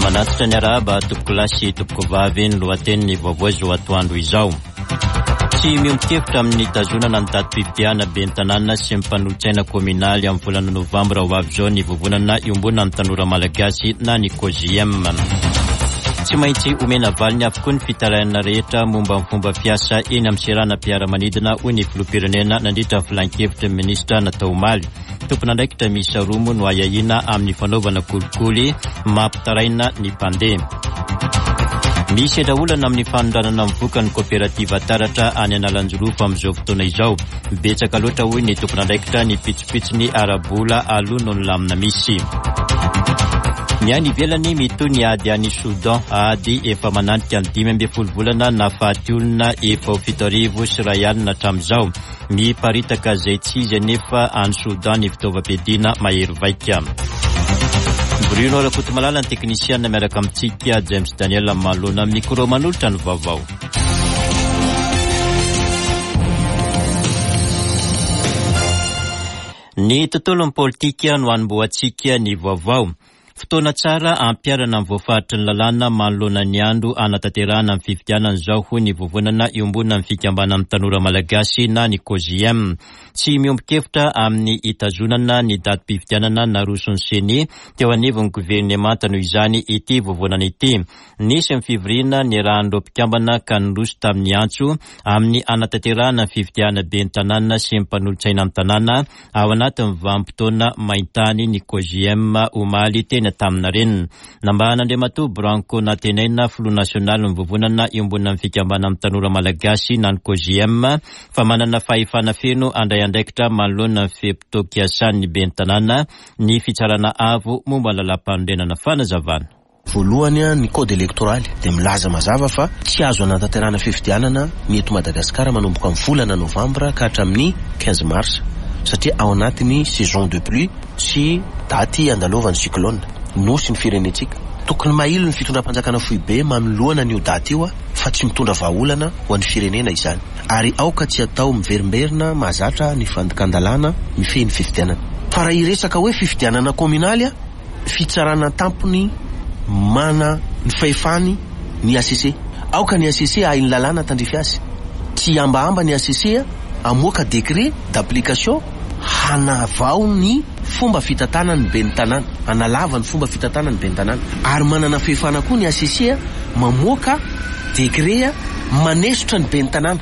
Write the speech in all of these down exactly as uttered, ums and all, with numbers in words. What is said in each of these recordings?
Manatitra ny arahaba tompokolahy sy tompokovavy. Ny lohatenin'ny vaovao izao atoandro izao: tsy miombon-kevitra amin'ny tazonana ny datim-pifidianana ben'ny tanàna sy ny mpanolotsaina kominaly amin'ny volana novambra ho avy izao ny Vovonana Iombonan'ny Tanora Malagasy na ny C O J I M. Tsy maintsy omena valiny avokoa ny fitarainana rehetra momba ny fomba fiasa eny amin'ny seranam-piaramanidina, hoy ny filoham-pirenena nandritra ny filan-kevitra ny ministra natao omaly. Tompon'andraikitra miisa roa moa no ahiahiana amin'ny fanaovana kolikoly mampitaraina ny mpandeha. Misy sedra olana amin'ny fanondranana mivoaka ny coopérative Taratra any Analanjirofo amin'izao fotoana izao. Betsaka loatra, hoy ny tompon'andraikitra, ny pitsopitsony ara-bola aloha noho ny lamina misy. Ny any ivelany, mitohy ny ady any Soudan, ady efa mananika ny dimy amby folo volana, nahafaty olona efa ho fito arivo sy ray alina hatramin'izao. Miparitaka izay tsy izy anefa any Soudan ny fitaovam-piadiana mahery vaika. Bruno Rakotomalala ny teknisiana, miaraka amintsika James Daniel manoloana micro manolotra ny vaovao. Ny tontolon'ny politika no anombohantsika ny vaovao. Fotoana tsara ampiharana ny voafaritry ny lalàna manoloana ny andro anatanterahana ny fifidianana izao, hoy ny Vovonana Iombonan'ny Fikambanan'ny Tanora Malagasy na ny C O J I M. Tsy miombon-kevitra amin'ny hitazonana ny datim-pifidianana naroson'ny CENI teo anivon'ny governemanta noho izany ity vovonana ity. Nisy ny fivoriana niarahan'ireo mpikambana ka niroso tamin'ny antso amin'ny anatanterahana ny fifidianana ben'ny tanàna sy ny mpanolotsaina ny tanàna ao anatin'ny vanim-potoana maintany ny C O J I M omaly teny Antaninarenina. Nambaran'Andriamatoa Branco Nantenaina, filoha nasionaly ny Vovonana Iombonan'ny Fikambanan'ny Tanora Malagasy na ny C O J I M, fa manana fahefana feno handray andraikitra manoloana ny fe-potoam-piasan'ny ben'ny tanàna ny Fitsarana Avo momba ny lalàm-panorenana. Fanazavana. Voalohany, a ny code électoral dia milaza mazava fa tsy azo anatanterahana fifidianana ny eto Madagasikara manomboka amin'ny volana novambra ka hatramin'ny quinze mars, satria ao anatin'ny saison de pluie sy daty andalovan'ny cyclone nosy ny firenentsika. Tokony mahilo ny fitondram-panjakana foibe manoloana ny io daty io a fa tsy mitondra vahaolana ho an'ny firenena izany, ary aoka tsy atao miverimberina mahazatra ny fandikan-dalàna mifehy ny fifidianana. Fa raha iresaka hoe fifidianana kominaly, a fitsarana tampony mana ny fahefany ny H C C. Aoka ny H C C ahay ny lalàna tandrify azy, tsy ambahamba ny H C C amoaka décret d'application hanavao ny fomba fitantanana ny ben'ny tanàna, analava ny fomba fitantanana ny ben'ny tanàna. Ary manana fahefana koa ny H C C mamoaka décret manesotra ny ben'ny tanàna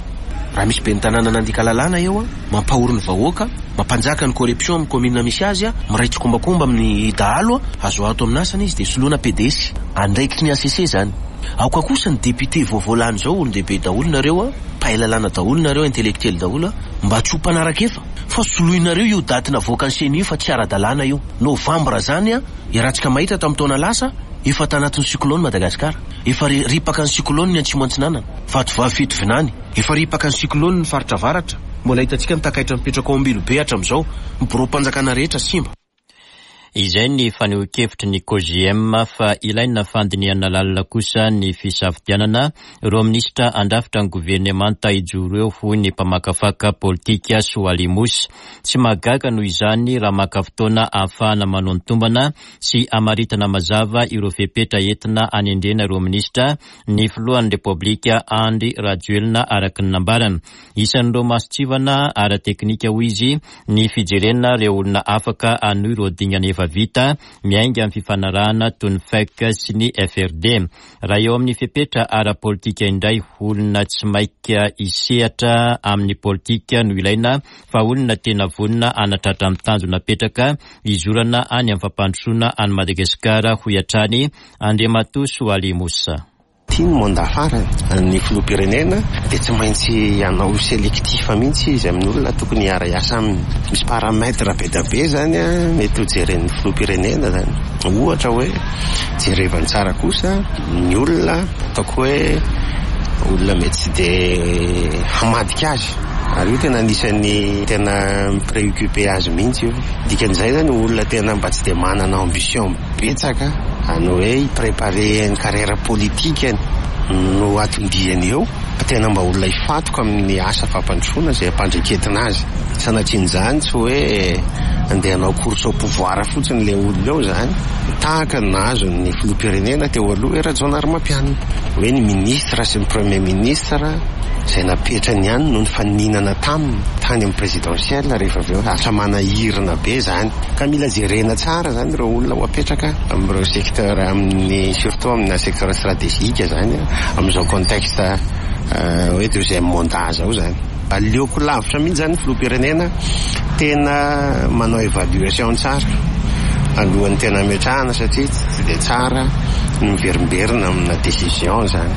raha misy ben'ny tanàna nandika lalàna eo a mampahory ny vahoaka, mampanjaka ny corruption amin'ny commune misy azy, a miray tsikombakomba amin'ny dahalo, a azo ato amin'ny asany izy de soloana P D S. Andraikitry ny H C C zany. Aoka kosa ny député vaovao lany zao, olon-dehibe daholo nareo, a mpahay lalàna daholo nareo, intellectuel daholo, a mba tsy ho mpanaraka efa fa soloinareo io daty navoaka ny CENI io, fa tsy ara-dalàna io novambra zany. A iarahantsika mahita tamin'ny taona lasa efa tanatin'ny cyclone Madagasikara, efa ripaka ny cyclone ny Atsimo Antsinanana, Vatovavy Fitovinany, efa ripaka ny cyclone ny faritra avaratra. Mbola hitantsika ny takaitra mipetraka ao Ambilobe hatramin'izao, ny birao-panjakana rehetra simba. Izay ny fanehoan-kevitry ny C O J I M, fa ilaina fandinihana lalina kosa ny fisafidianana ireo minisitra andrafitra ny governemanta hijoro eo, hoy ny mpamakafaka politika Soaly Mosy. Tsy mahagaga noho izany raha maka fotoana ahafahana manao ny tombana sy amaritana mazava ireo fepetra entina anendrena ireo minisitra ny filohan'ny Repoblika Andry Rajoelina, araka ny nambarana. Isan'ireo mason-tsivana ara-teknika, hoy izy, ny fijerena ireo olona afaka hanohy ireo dingana efa vita miainga amin'ny fifanarahana toy ny F E C sy ny F R D. Raha eo amin'ny fepetra ara-politika indray, olona tsy maika hisehatra amin'ny politika no ilaina, fa olona tena vonona hanatratra amin'ny tanjona petraka hizorana any amin'ny fampandrosoana any Madagasikara, hoy hatrany Andriamatoa Soaly Mosa. Ty ny mandat farany ny filoham-pirenena dia tsy maintsy hanao sélectif mihitsy izy amin'ny olona tokony hiara-hiasa aminy. Misy paramètre be da be zany a mety ho jeren'ny filoham-pirenena zany. Ohatra hoe jerevany tsara kosa ny olona ataoko hoe olona mety tsy de hamadika azy, ary io tena anisan'ny tena mi-préoccupe azy mihitsy io. Dikan'izay zany, olona tena mba tsy de manana ambition betsaka any hoe hi-préparer ny carrière politikany no atondiany eo, fa tena mba olona hifatoka amin'ny asa fampandrosoana zay ampandreketina azy. Sanatrian'izany, tsy hoe andeha hanao course au pouvoir fotsiny le olona eo zany. Tahaka ny nahazo ny filoham-pirenena teo aloha Rajaonarimampianina, hoe ny ministre sy ny premier ministre izay napetrany ihany no nifaninana taminy tany amin'ny présidentielle rehefa avy eo lasa manahirana be zany. Ka mila jerena tsara zany ireo olona ho apetraka amin'ireo secteur, amin'ny surtout amina secteur stratégique zany amin'izao contexte hoe deuxième mandat zao zany. Aleoko lavitra mihitsy zany filoham-pirenena tena manao évaluation tsara alohan'ny tena ametrahana, satria tsy dia tsara ny miverimberina amina décision zany.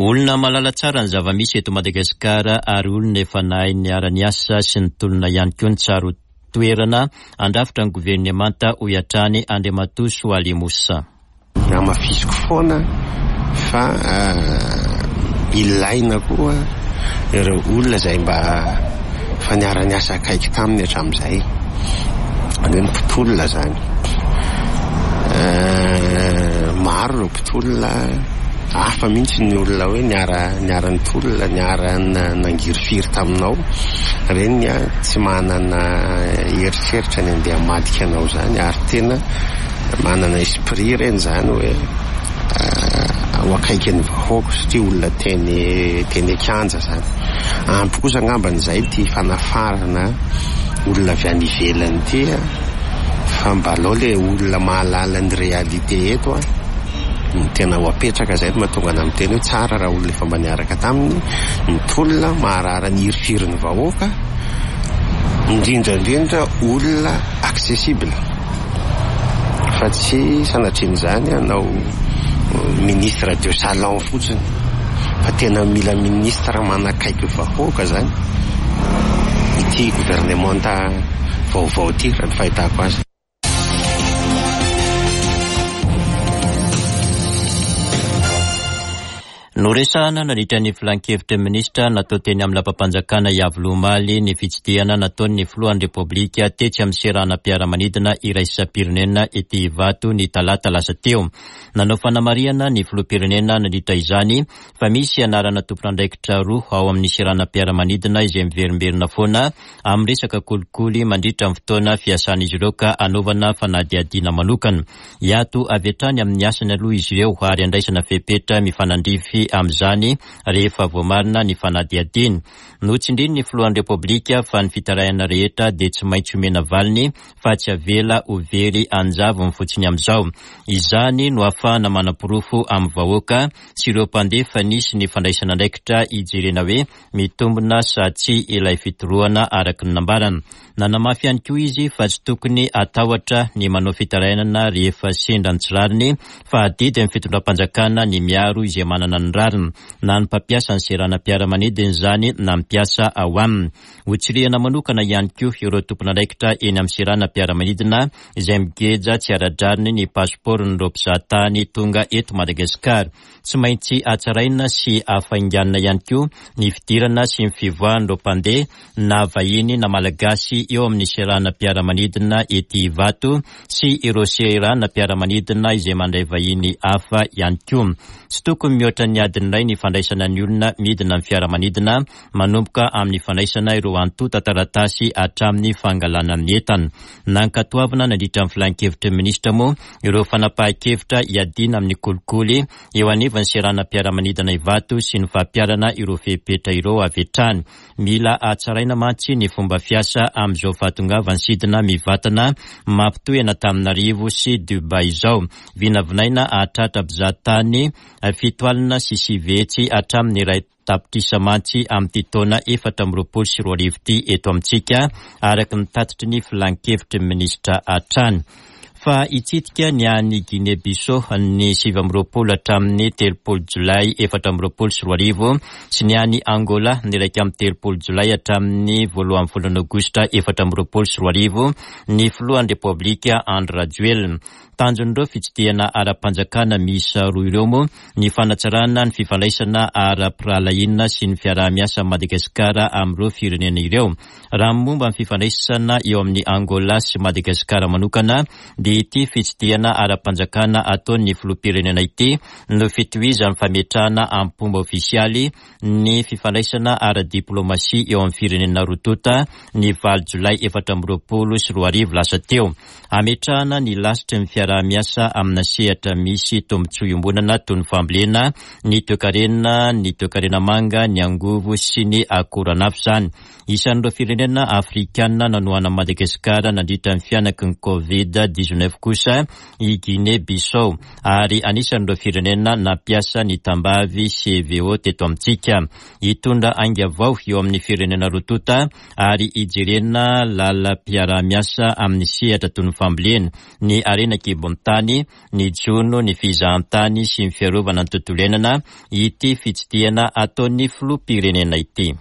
Olona malala tsara ny zava-misy eto Madagasikara ary olona efa nahay niara-niasa sy nitolona ihany koa ny tsara toerana andrafitra ny governemanta, hoy hatrany Andriamatoa Soaly Moussa. Hamafisiko foana fa ilaina koa ireo olona izay mba fa niara-niasa akaiky taminy hatramin'izay, ny mpitolona zany. Maro ireo mpitolona, hafa mihitsy ny olona hoe niara niara-nitolona, niara-nangirifiry taminao reny tsy manana eritreritra ny andeha hamadika anao zany, ary tena manana esprit reny zany hoe ho akaiky ny vahoaka satria olona teny teny an-kianja zany. Ampy kosa angambany izay ty fanafarana olona avy any ivelany ty, fa mba aleo le olona mahalala ny réalité eto a ny tena ho apetraka. Zay no mahatonga ana miteny hoe tsara raha olona efa mba niaraka taminy nitolona, maharara ny hirifirin'ny vahoaka, indrindra indrindra olona accessible, fa tsy sanatrian'izany hanao ministre de salon fotsiny, fa tena mila ministre manakaiky vahoaka zany ity gouvernementa vaovao ity raha ny fahitako azy. Noresahana nandritra ny filankevitry ny minisitra natao teny amin'ny lapam-panjakana Iavoloha omaly ny fitsidihana nataon'ny filohan'ny Repoblika tetsy amin'ny seranam-piaramanidina iraisam-pirenena ety Ivato ny talata lasa teo. Nanao fanamarihana ny filoham-pirenena nandritra izany fa misy anarana tompon'andraikitra roa ao amin'ny seranam-piaramanidina izay miverimberina foana amin'ny resaka kolikoly mandritra ny fotoana fiasan'izy ireo ka anaovana fanadihadiana manokana. Hiato avy hatrany amin'ny asany aloha izy ireo ary andraisana fepetra mifanandrify amin'izany rehefa voamarina ny fanadihadiana. Notsindrin'ny filohan'ny Repoblika fa ny fitarainana rehetra dia tsy maintsy omena valiny fa tsy avela ho very anjavony fotsiny amin'izao. Izany no ahafahana manaporofo amin'ny vahoaka sy ireo mpandeha fa nisy ny fandraisana andraikitra hijerena hoe mitombina sa tsy ilay fitorohana araka ny nambarana. Nanamafy ihany koa izy fa tsy tokony hatahotra ny manao fitarainana rehefa sendra ny tsy rariny, fa adidy ny fitondram-panjakana ny miaro izay manana ny rariny, na ny mpampiasa ny seranam-piaramanidina izany na ny mpiasa ao aminy. Hotsirihana manokana ihany koa ireo tompon'andraikitra eny amin'ny seranam-piaramanidina izay migeja tsy ara-drariny ny pasipaoron'ireo mpizahatany tonga eto Madagasikara. Tsy maintsy hatsaraina sy hafainganina ihany koa ny fidirana sy ny fivoahan'ireo mpandeha na vahiny na malagasy eo amin'ny seranam-piaramanidina ety Ivato sy ireo seranam-piaramanidina izay mandray vahiny hafa ihany koa. Tsy tokony mihoatra ny adiny iray ny fandraisana ny olona midina amin'ny fiaramanidina, manomboka amin'ny fandraisana ireo antontan-taratasy hatramin'ny fangalana ny entana. Nankatoavina nandritra ny filankevitry ny minisitra moa ireo fanapahan-kevitra hiadiana amin'ny kolikoly eo anivon'ny seranam-piaramanidina Ivato sy ny fampiharana ireo fepetra ireo avy hatrany. Mila hatsaraina mantsy ny fomba fiasa amin'izao fahatongavan'ny sidina mivantana mampitohy an'Antananarivo sy Dubai izao. Vinavinaina hahatratra mpizahatany fito alina sy sivy hetsy hatramin'ny iray tapitrisa mantsy amin'ity taona efatra amby roapolo sy roa arivo ity eto amintsika, araka ny tatitry ny filankevitry ny minisitra hatrany. Fa hitsidika ny any Guinée-Bissau ny sivy amby roapolo hatramin'ny telopolo jolay efatra amby roapolo sy roa arivo sy ny any Angola ny iraika amby telopolo jolay hatramin'ny voalohan'ny volana aogositra efatra amby roapolo sy roa arivo ny filohan'ny Repoblika Andry Rajoelina. Tanjon'ireo fitsidihana ara-panjakana miisa roa ireo moa ny fanatsarana ny fifandraisana ara-pirahalahiana sy ny fiaraha-miasa Madagasikara amin'ireo firenena ireo. Raha momba ny fifandraisana eo amin'ny Angola sy Madagasikara manokana dia Ity fitsidihana ara-panjakana ataon'ny filoham-pirenena ity no fitohizan'ny fametrahana am-pomba ofisialy ny fifandraisana ara-diplomasia eo amin'ny firenena roa tonta ny valo jolay efatra amby roapolo sy roa arivo lasa teo. Ametrahana ny lasitry ny fiaraha-miasa amina sehatra misy tombontsoa iombonana toy ny fambolena, ny toekarena, ny toekarena manga, ny angovo sy ny akoranafo izany. Isan'ireo firenena afrikanina nanohana Madagasikara nandritra ny fianaky ny Covid dix-neuf kosa i Guinée Bissau ary anisan'ireo firenena nampiasa ny tambavy C V O teto amintsika. Hitondra ainga vao eo amin'ny firenena roa tonta ary hijerena lalam-piaraha-miasa amin'ny sehatra toy ny fambolena, ny harena an-kibon'ny tany, ny jono, ny fizahantany sy ny fiarovana ny tontolo iainana ity fitsidihana ataon'ny filoham-pirenena ity.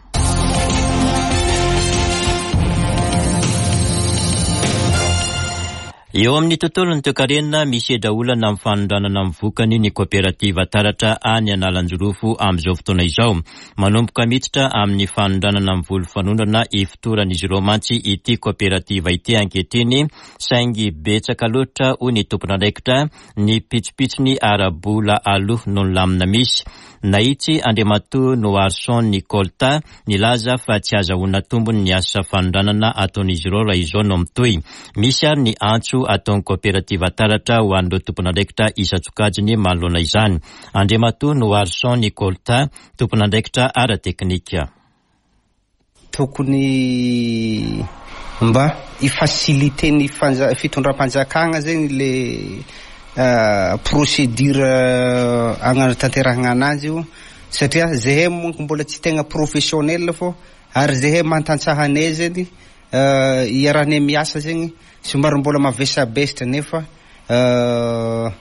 Eo amin'ny tontolon'ny toekarena misedra olana amin'ny fanondranana amin'ny vokany ny kooperativa Taratra any Analanjirofo amin'izao fotoana izao. Manomboka miditra amin'ny fanondranana amin'ny voly fanondrana ifotoran'izy ireo mantsy ity kooperativa ity ankehitriny, saingy betsaka loatra hoy ny tompon'andraikitra ny pitsopitsony ara-bola aloha noho ny lamina misy. Nahitsy Andriamatoa Noarson Nicolta nilaza fa tsy azahoana tombony ny asa fanondranana ataon'izy ireo raha izao no mitohy. Misy ary ny antso ataon'ny kooperativa Taratra ho an'ireo tompon'andraikitra isan-tsokajiny manoloana izany. Andriamatoa Noarson Nicolta, tompon'andraikitra ara-teknika. Tokony mba hi-faciliter ny fanja-, fitondram-panjakana zegny le, euh, procédure agnatanterahana anazy io, satria zahay monko mbola tsy tegna professionnel fô, ary zahay mantantsahanay zegny, euh, iarahanay miasa zegny somary mbola mavesabesatra nefa, euh,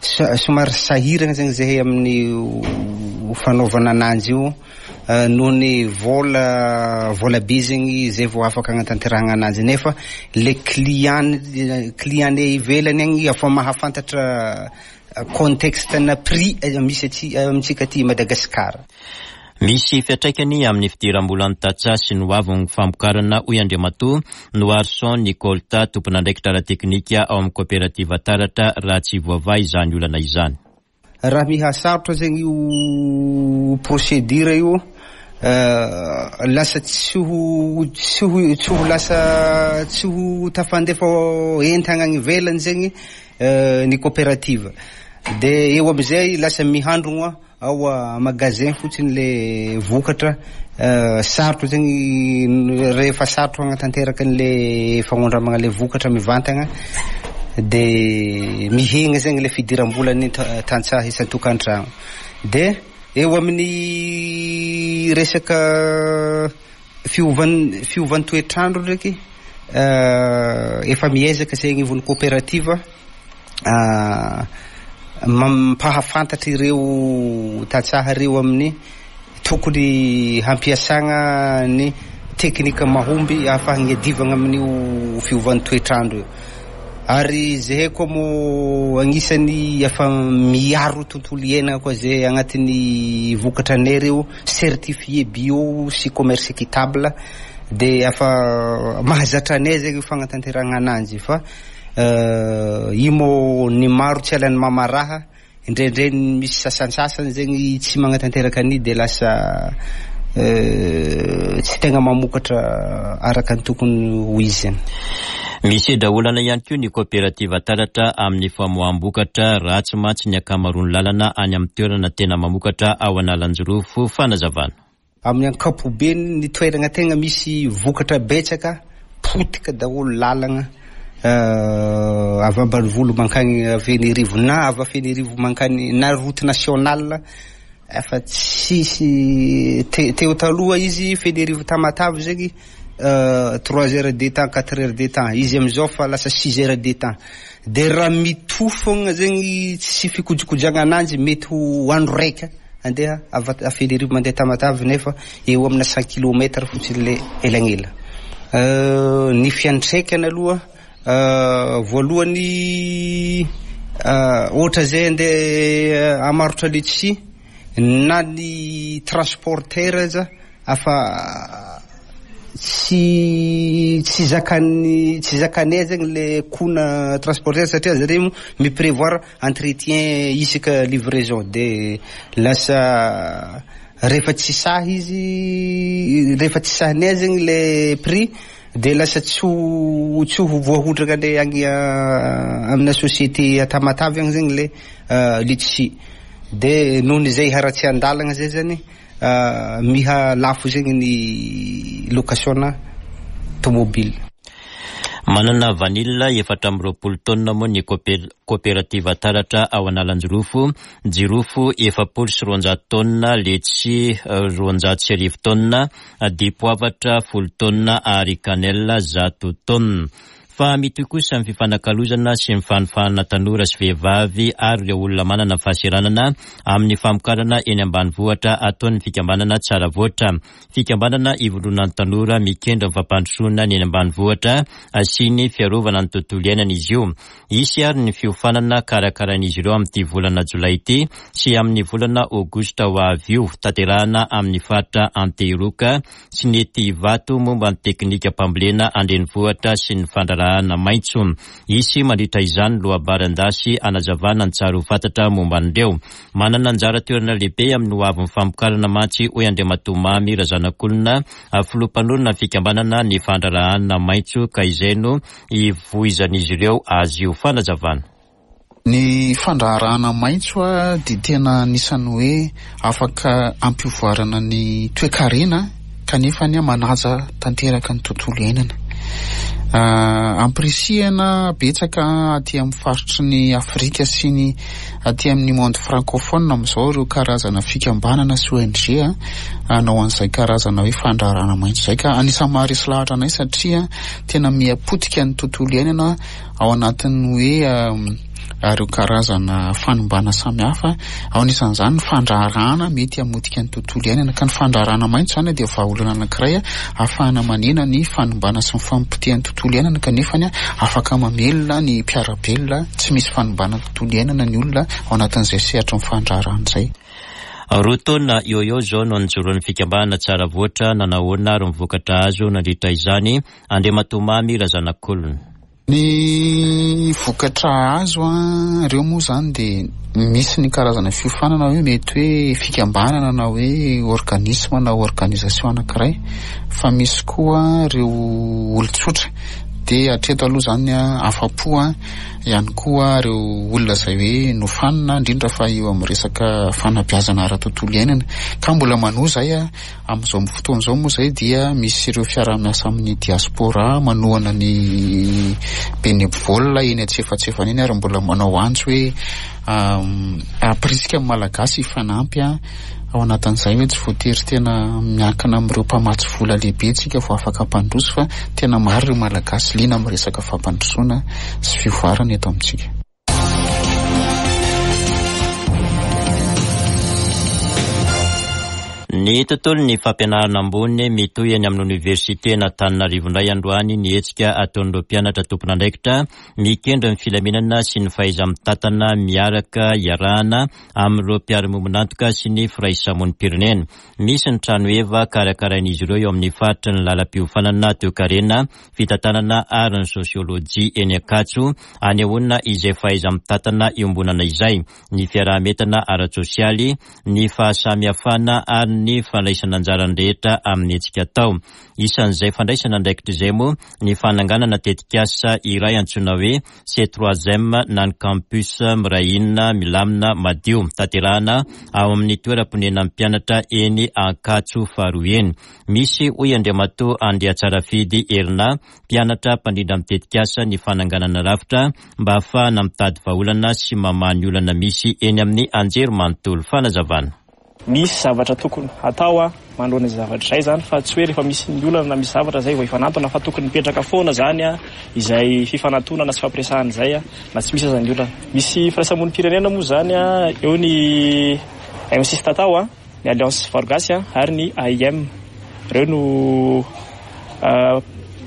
sa-, somary sahirana zegny zahay amin'ny fanaovana ananjy io, euh, noho ny vola, vola be zegny zay vao afaka agnatanterahana ananjy, nefa le client, client ivelany agny efa mahafantatra contexte na prix misy aty amintsika aty Madagasikara. Misy fiantraikany amin'ny fidiram-bolan'ny tantsaha sy ny hoavin'ny famokarana hoy Andriamatoa Noarson Nicolta, tompon'andraikitra ara-teknika ao amin'ny kooperativa Taratra raha tsy voavaha izany olana izany. Raha mihasarotra zegny io procédure io, euh, lasa tsy ho, tsy ho, tsy ho lasa, tsy ho tafandefa entana any ivelany zegny, euh, ny kooperativa. De eo amizay lasa mihandrogna ao a magasin fotsiny le vokatra, euh, sarotra zegny rehefa sarotra agnatanteraka an'le fagnondramana le vokatra mivantagna, de mihegna zegny le fidiram-bolan'ny ta-, tantsaha isan-tokantrano. De eo amin'ny resaka fiovan-, fiovan'ny toetrandro ndraiky, euh, efa miezaka zegny ivon'ny kooperativa, euh, mampahafantatra ireo tantsaha ireo amin'ny tokony hampiasana ny teknika mahomby ahafahana iadivana amin'io fiovan'ny toetrandro io. Ary zahay koa moa agnisan'ny efa miaro tontolo iainana koa zay agnatin'ny vokatra anay ireo certifié bio sy commerce équitable, de efa mahazatra anay zegny fagnatanterahana ananjy fa, euh, io moa ny maro tsy alan'ny mamaraha, indraindray misy sasantsasany zegny tsy magnatanteraka an'io de lasa, euh, tsy tegna mamokatra araka ny tokony ho izy zany. Misedra olana ihany koa ny kooperativa Taratra amin'ny famoaham-bokatra ratsy mantsy ny ankamaroan'ny lalana any amin'ny toerana tena mamokatra ao Analanjirofo. Fanazavana. Amin'ny ankapobeny ny toerana tegna misy vokatra betsaka potika daholo lalana, euh, avy ambanivolo mankany Fenerivo na avy Fenerivo mankany na route nationale efa tsisy te-, teo taloha izy Fenerivo Tamatave zegny, euh, trois heures de temps, quatre heures de temps, izy amizao fa lasa six heures de temps. De raha mitofogna zegny tsy fikojikojagna ananjy mety ho andro raika andeha avy a Fenerivo mandeha Tamatave nefa eo amina cent kilomètres fotsiny le elagnela. Euh, ny fiantraikany aloha, euh, voalohany, euh, ohatra zay andeha hamarotra letchi na ny transporteur aza afa tsy tsy zakany tsy zakanay zegny le coût-na transporteur satria zareo mo mi-prévoir entretien isaka livraison, de lasa rehefa tsy sahy izy, rehefa tsy sahinay zegny le prix, de lasa tsy ho tsy ho voahotraka le agny amina société Tamatave agny zegny le litchi, de nohony zay haratsian-dalagna zay zany miha lafo zegny ny location-na tomobile. Manana vanila efatra amby roapolo taonina moa ny coopérative Taratra ao Analanjirofo, jirofo efapolo sy roanjato taonina, letchi roanjato sy arivo taonina, dipoavatra folo taonina ary kanela zato taonina. Fa mitohy kosa ny fifanakalozana sy ny fanofanana tanora sy vehivavy ary ireo olona manana fahaseranana amin'ny famokarana eny ambanivohitra ataon'ny fikambanana Tsara Voatra. Fikambanana ivondronan'ny tanora mikendry ny fampandrosoana ny eny ambanivohitra sy ny fiarovana ny tontolo iainana izy io. Hisy ary ny fiofanana karakarain'izy ireo amin'ity volana jolay ity sy amin'ny volana aogositra ho avy io, tanterahana amin'ny faritra Antehiroka sy ny ety Ivato momba ny teknika mpambolena andrenivohitra sy ny fandraharahana maitso. Hisy mandritra izany lohabaran-dasy anazavana ny tsara ho fantatra momba an'ireo. Manana anjara toerana lehibe amin'ny ho avin'ny famokarana mantsy, hoy Andriamatoa Mamy Razanakolona, filoha mpanorina ny fikambanana ny fandraharahana maitso, ka izay no ivoizan'izy ireo azy io. Fanazavana. Ny fandraharahana maitso a dia tena anisan'ny hoe afaka ampivoarana ny toekarena kanefa ny manaja tanteraka ny tontolo iainana. Ampirisihana betsaka aty amin'ny faritry ny Afrika sy ny aty amin'ny monde francophone amin'izao ireo karazana fikambanana sy O N G hanao an'izay karazana hoe fandraharahana maitso izay, ka anisan'ny maharesy lahatra anay satria tena miha-potika ny tontolo iainana ao anatin'ny hoe ireo karazana fanimbana samihafa, ao anisan'izany ny fandraharahana mety hamotika ny tontolo iainana, ka ny fandraharahana maitso izany dia vahaolana anankiray ahafahana manena ny fanimbana sy ny famopotehan'ny tontolo iainana, kanefa ny afaka mamelona ny mpiara-belona tsy misy fanimbana tontolo iainana ny olona ao anatin'izay sehatry ny fandraharahana izay. Roa taona eo eo izao no nijoroan'ny fikambanana Tsara Voatra, nanahoana ary ny vokatra azo nandritra izany, Andriamatoa Mamy Razanakolona. Ny vokatra azo a, ireo moa izany dia misy ny karazana fiofanana hoe mety hoe fikambanana na hoe organisme na organisation anankiray, fa misy koa ireo olon-tsotra. Dia hatreto aloha izany a, afa-po a, ihany koa ireo olona izay hoe nofanina, indrindra fa eo amin'ny resaka fanabeazana ara-tontolo iainana, ka mbola manohy izay a. Amin'izao fotoana izao moa izay dia misy ireo fiaraha-miasa amin'ny diaspora manohana ny bénévole eny antsefatsefany eny, ary mbola manao antso hoe ampirisika ny Malagasy hifanampy a, ao anatin'izay hoe tsy voatery tena miankina amin'ireo mpamatsy vola lehibe tsika vao afaka hampandroso, fa tena maro ireo Malagasy liana amin'ny resaka fampandrosoana sy fivoarana eto amintsika. Ny tontolon'ny fampianarana ambony mitohy eny amin'ny oniversite Antananarivo indray androany ny hetsika ataon'ireo mpianatra tompon'andraikitra mikendry ny filaminana sy ny fahaiza-mitantana miaraka iarahana amin'ireo mpiara-miombon'antoka sy ny firaisamonim-pirenena. Misy ny trano heva karakarain'izy ireo eo amin'ny faritry ny lalam-piofanana toekarena, fitantanana ary ny sosiolojia eny Ankatso, anehoana izay fahaiza-mitantana iombonana izay, ny fiaraha-mientana ara-tsosialy, ny fahasamihafana ary ny fandraisana anjara rehetra amin'ny hetsika atao. Isan'izay fandraisana andraikitra izay moa ny fananganana tetikasa iray antsoina hoe C trois M na ny campus Mirahina milamina madio, tanterahana ao amin'ny toeram-ponenan'ny mpianatra eny Ankatso faharoa eny. Misy, hoy Andriamatoa Andriatsarafidy Herina, mpianatra mpandrindra amin'ny tetikasa ny fananganana rafitra mba ahafahana mitady vahaolana sy mamaha ny olana misy eny amin'ny anjerimanontolo. Fanazavana. Misy zavatra tokony hatao a manoloana izay zavatra izay zany, fa tsy hoe rehefa misy ny olana na misy zavatra izay vao hifanantona, fa tokony mipetraka foana zany a izay fifanantonana sy fampiresahana izay a na tsy misy aza ny olana. Misy firaisamonim-pirenena moa zany a, eo ny M six Tatao a, ny Alliance Varogasy a ary ny A I M. Ireo no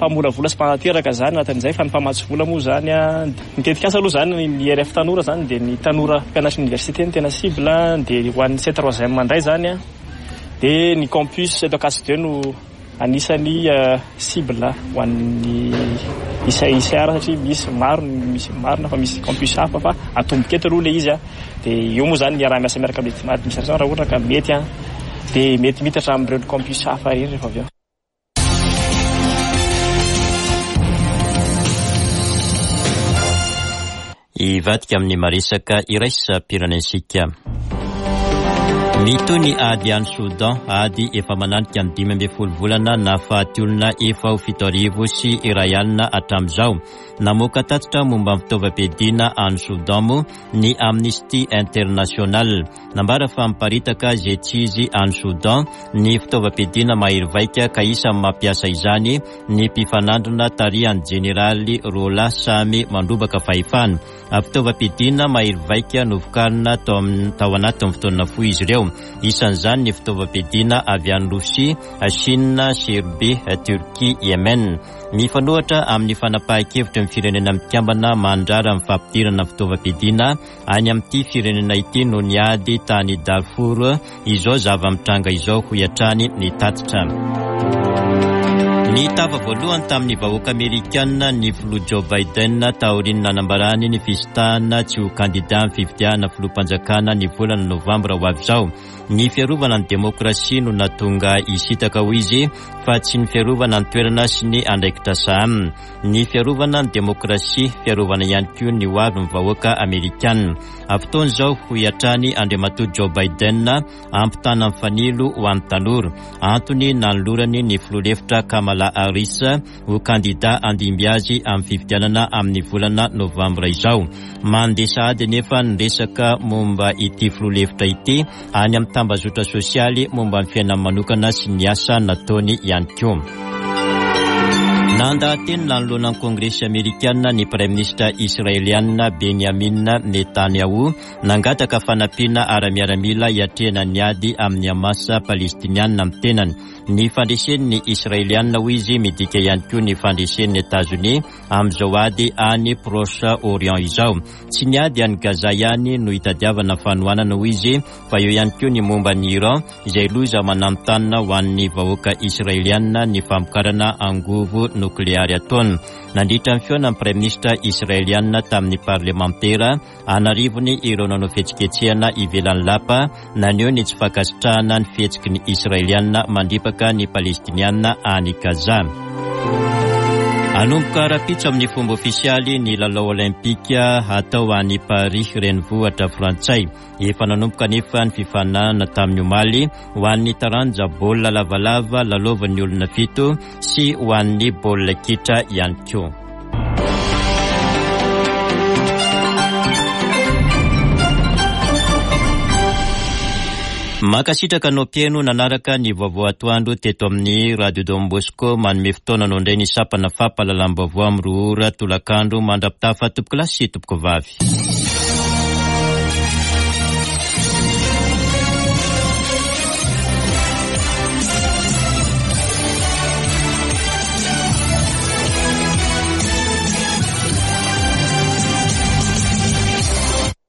mpamolavola sy mpanateraka zany anatin'izay, fa ny mpamatsy vola moa zany a, ny tetikasa aloha zany ny R F tanora zany dia ny tanora mpianatry ny université no tena cible, dia ho an'ny C trois M indray zany a, dia ny campus eto Ankatso deux no anisan'ny cible ho an'ny I C R satria misy maro, misy marina fa misy campus hafa fa atomboka eto aloha ilay izy a. Dia eo moa zany miara-miasa miaraka amin'ny administration raha ohatra ka mety a, dia mety mitatra amin'ireo campus hafa ireny rehefa avy eo. Hivadika amin'ny maresaka iraisam-pirenentsika. Mitohy ny ady any Soudan, ady efa mananika ny dimy ambin'ny folo volana nahafaty olona efa ho fito arivo sy iray alina hatramin'izao. Namoaka tatitra momba ny fitaovam-piadiana any Soudan moa ny Amnesty International. Nambara fa miparitaka izay tsy izy any Soudan ny fitaovam-piadiana mahery vaika ka isan'ny mampiasa izany ny mpifanandrina tarihan'ny jeneraly Rola samy mandrobaka fahefana. Fitaovam-piadiana mahery vaika novokarina tao tao anatin'ny fotoana fohy izy ireo. Isan'izany ny fitaovam-piadiana avy any Rosia, Chine, Serbie, Turquie, Yemen. Mifanohitra amin'ny fanapahan-kevitry ny firenena mikambana mandrara ny fampidirana fitaovam-piadiana any amin'ity firenena ity noho ny ady tany Darfour izao zava-mitranga izao, hoy hatrany ny tatitra. Ny tava voalohany tamin'ny vahoaka amerikana ny filoha Joe Biden taorian'ny nanambarany ny fisintahana tsy ho kandida amin'ny fifidianana filoham-panjakana ny volana novambra ho avy izao. Ny fiarovana ny demokrasia no nahatonga hisintaka hoy izy fa tsy ny fiarovana ny toerana sy ny andraikitra sahanina. Ny fiarovana ny demokrasia, fiarovana ihany koa ny ho avy ny vahoaka amerikana. Fotoana izao hoy hatrany Andriamatoa Joe Biden ampitana ny fanilo ho an'ny tanora. Antony nanolorany ny filoha lefitra Kamala Harris ho kandida handimby azy amin'ny fifidianana amin'ny volana novambra izao. Mandeha sahady anefa ny resaka momba ity filoha lefitra ity any amin'ny tambazotra sosialy momba ny fiainany manokana sy ny asa nataony ihany koa. Nandahateny nanoloana ny Kongresy amerikana ny praiminisitra israeliana Benjamin Netanyahu nangataka fanampiana ara-miaramila hiatrehana ny ady amin'ny Hamas palestiniana amin'ny tenany. Ny fandresen'ny israeliana hoy izy midika ihany koa ny fandresen'ny Etazonia amin'izao ady any Proche-Orient izao. Tsy ny ady any Gaza ihany no hitadiavana fanohanana hoy izy fa eo ihany koa ny momba ny Iran izay loza mananontanona ho an'ny vahoaka israeliana ny famokarana angovo nokleary ataony. Nandritra ny fihaonan'ny praiminisitra israeliana tamin'ny parlemantera an'arivony ireo nanao fihetsiketsehana ivelan'ny lapa naneho ny tsy fankasitrahana ny fihetsiky ny israeliana mandripaka ny palestiniana any Gaza. Hanomboka rahampitso amin'ny fomba ofisialy ny lalao olimpika hatao any Paris renivohitra frantsay. Efa nanomboka anefa ny fifaninanana tamin'ny omaly ho an'ny taranja baolina lavalava lalaovan'ny olona fito sy ho an'ny baolina kitra ihany koa. Mankasitraka anao mpihaino nanaraka ny vaovao atoandro teto amin'ny Radio Don Bosco. Manome fotoana anao indray ny sampana fampahalalam-baovao amin'ny roa ora tolakandro mandra-pitafa tompoko lahy sy tompoko vavy.